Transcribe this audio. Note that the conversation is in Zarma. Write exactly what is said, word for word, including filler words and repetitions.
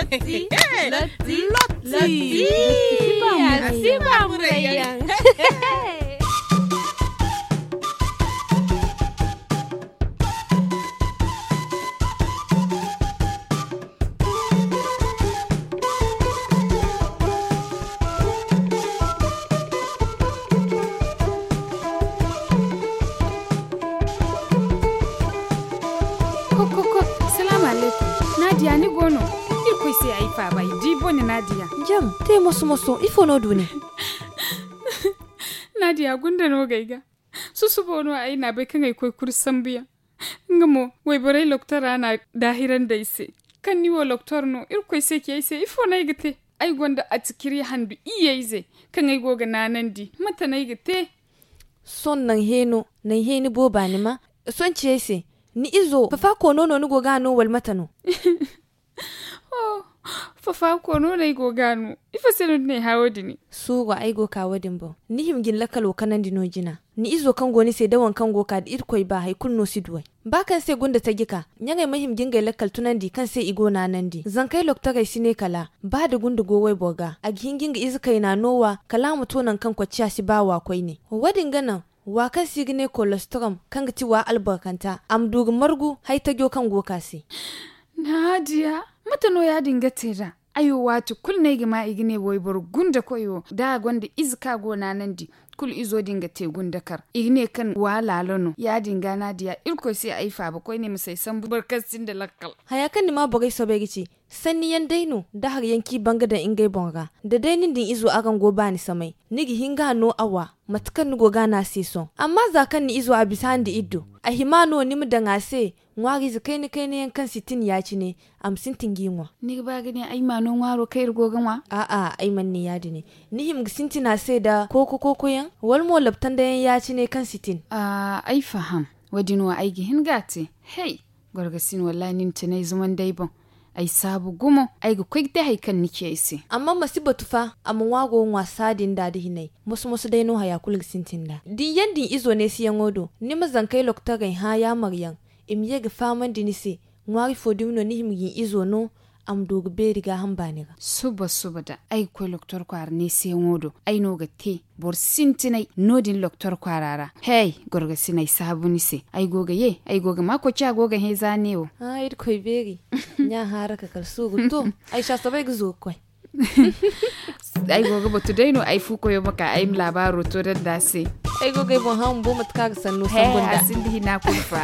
Lotti. Lotti. Lotti. Lotti. Lotti. Lotti. Ko, ko, ko. Salaamu alaykum. Naadiya, ni go no? Irkoy se ay faaba, ay di bone, Naadiya. Jam, te moso-moso, ifo no du nin? Naadiya, gunda no ga ay ga. Susubo no ay na bay kaŋ ay koy kuri sambuyaŋ. Nga mo, wayborey loktora na daahirandi ay se. Kaŋ ni wo loktor no, Irkoy se ci ay se, ifo no ay ga te? Ay gonda atikiri handu iyye ize kaŋ ay go ga naanandi. Mate no ay ga te? Sohõ naŋ heeno, naŋ heeni booba ni ma. Sohõ ci ay se, ni izo fafa koono no ni go ga a no, wala mate no? Oh, fafa koono no ay go ga a no. Ifo se no ni n'ay hã wo-din? Suuru, ay go ka wo-din boŋ. Ni hima ga ni lakkalo kanandi no jina. Ni izo kaŋ go ni se da waŋ kaŋ go ka, da Irkoy ba, hay kulu no si du ay. Ba kaŋ se gunda taji ka, ɲaŋey ma hima ga ngey lakkal tunandi kaŋ se i go naanandi. Zankey loktorey si ne kala, ba da gunda go wayboro ga, a ga hin ga nga ize kayna no wa, kala a ma to naŋ kaŋ kocciya si ba wa koyne. Wo-din ga naŋ, wa kaŋ se i ga ne kolostrom, kaŋ ga ti wa albarkanta, a ma du ga margu hay tajo kaŋ go ka se. Naadiya, mate no ya-din ga te nd'a? Ay wo, waati kulu no ay ga ma i ga ne wayboro gundakoy wo, da a gonda ize kaŋ a go naanandi, kulu izo din ga te gundakar. I ga ne kaŋ wa laalo no. Ya-din ga, Naadiya, Irkoy se ay faaba koyne ma si ay sambu boro kaŋ sinda lakkal. Haya kaŋ ni maa borey soobay ga ci, sanniyaŋ day no, da hari yaŋ kaŋ i ban ga daŋ ngey boŋ ra. Da day nin da ni izo araŋ go baani samay, ni ga hin ga a no a wa, mate kaŋ ni go ga a no a se sohõ. Amma za kaŋ ni izo a bisa nda iddo, a hima no ni ma daŋ a se ŋwaariize kayna-kayna yaŋ kaŋ sintin ya-cine, a ma sintin g'i ŋwa. Ni ga ba ga ne ay ma no ŋwaaro kaŋ iri go ga ŋwa? A'a, ay mana ne ya-din. Ni hima ga sintin a se nda kooko-kooko yaŋ, wala mo labtanda yaŋ ya-cine kaŋ sintin? A, ay faham. Wo-din wo ay ga hin ga a te. Hey! Gorgasin, wallahi, nin te no ay zumandi ay boŋ. Ay saabu gumo, ay ga koy ga te hari kaŋ ni ci ay se. Amma ma si batu fa, a ma ŋwaaro ŋwa saadin nda da hinay. Moso-moso day no haya kulu ga sintin nd'a. Da ni yaŋ da ni izo neesiyaŋo do, ni ma zankey lokotorey hã yaamar yaŋ, i ma ye ga fahamandi ni se, ŋwaari fo dumi no ni hima ga ni izo no, a ma du ga beeri gaaham baani ra. Suba-suba da ay ga koy lokotor kwaara neesiyaŋo do, ay no ga te boro sintinay no-din lokotor kwaara ra. Hey, gorgasin, ay saabu ni se. Ay go ga ye, ay go ga maa koci a go ga hẽ za neewo. Ah, Irkoy beeri. Ɲa haara ka kala suuru to. Ay sha soobay ga zo ga koy. Ay go ga batu day no, ay fu koyo ma ka ay ma laabaaro to daŋ nd'a se. Ay go ga ay boŋ hã bumbo mate kaŋ a ga sanno sambu nd'a. Hey, a sinda hina kulu fa.